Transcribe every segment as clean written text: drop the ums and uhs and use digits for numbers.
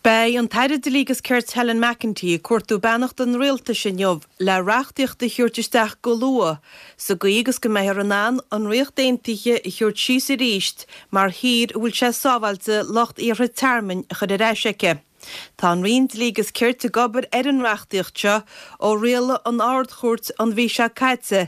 Beidh an tAire Dlí agus Cirt Helen McEntee ag cuartú beannacht an Rialtais inniu le reachtaíocht a thabhairt isteach go luath sa gcaoi agus go mbeifear in ann an Ríocht Aontaithe a thabhairt síos arís mar thír a bhfuil sé sábháilte lucht iarrtha tearmainn a chur ar ais aici. Tá an Roinn Dlí agus Cirt ag obair ar an reachtaíocht seo ó rialaigh an Ard-Chúirt an mhí seo caite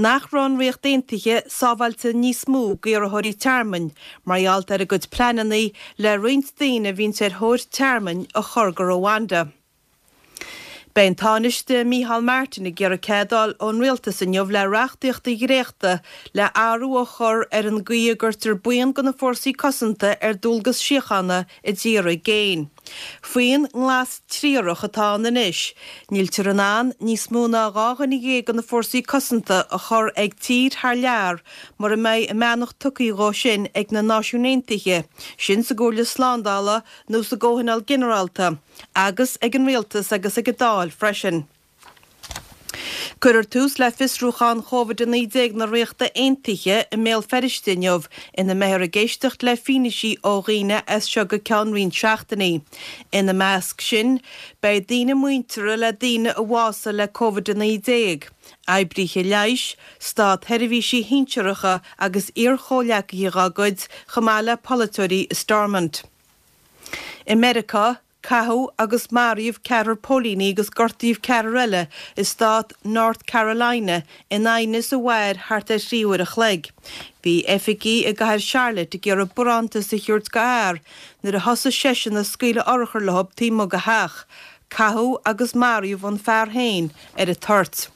nach raibh an Ríocht Aontaithe sábháilte níos mó d'iarrthóirí tearmainn mar gheall ar a gcuid pleananna le roinnt daoine a bhíonns ar thóir tearmainn a chur go Rwanda. Beidh an Tánaiste Micheál Martin ag iarraidh cead a fháil ón Rialtas inniu le reachtaíocht a dhréachtadh le athrú a chur ar an gcaoi a gcuirtear buíon de na Fórsaí Cosanta ar dualgas síochána i dtíortha i gcéin. Faoin nglas triarach atá ann anois, níltear in ann níos mó ná 12 dhuine de na Fórsaí Cosanta a chur ag tír thar lear mura mbeidh a mbeannacht tugtha dhó sin ag na Náisiúin Aontaithe, sin sa gComhairle Slándála nó sa gComhthionól Ginearálta. agus ag an Rialtas agus ag an Dáil freisin. Cuirfear tús le fiosrúchán Covid-19 na Ríochta Aontaithe i mBéal Feirste inniu ina mbeifear ag éisteacht le fianaisí ó dhaoine as seo go ceann roinnt seachtainí. Ina measc sin beidh daoine muinteartha le daoine a bhásaigh le Covid-19, oibríthe leighis, státsheirbhísigh shinsearacha agus iar-chomhghleacaithe dá gcuid chomh maith le polaiteoirí i Stormont. I Meiriceá, caitheadh agus maraíodh ceathrar póilíní agus gortaíodh ceathrar eile i stát North Carolina in aighneas a mhair thart ar thrí uair a chloig. Bhí oifigigh i gcathair Charlotte ag iarraidh barántas a thabhairt do fhear nuair a thosaigh seisean ag scaoileadh urchar leo taobh amuigh de theach. Caitheadh agus maraíodh an fear féin ar an toirt.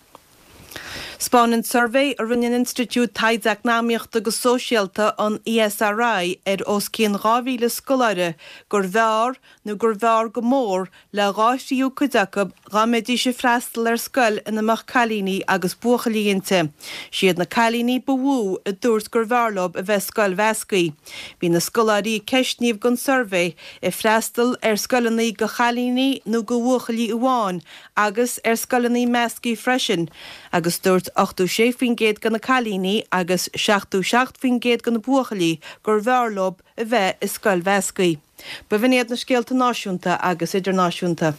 'Spáineann suirbhé a rinne an Institiúid Taighde Eacnamaíochta agus Sóisialta, an ESRI, ar os cionn 2,000 scoláire gurbh fhearr nó gurbh fhearr go mór le dhá thríú cuid acu dá mbeidís ag freastal ar scoil ina mbeadh cailíní agus buachaillí inti. Siad na cailíní ba mhó a dúirt gurbh fhearr leo a bheith i scoil mheasctha. Bhí na scoláirí a ceistníodh don suirbhé ag freastal ar scoileanna do chailíní nó do bhuachaillí amháin agus ar scoileanna measctha freisin, agus dúirt 86% de na cailíní agus 77% de na buachaillí gurbh fhearr leo a bheith i scoil mheasctha. B'in iad na scéalta náisiúnta agus idirnáisiúnta.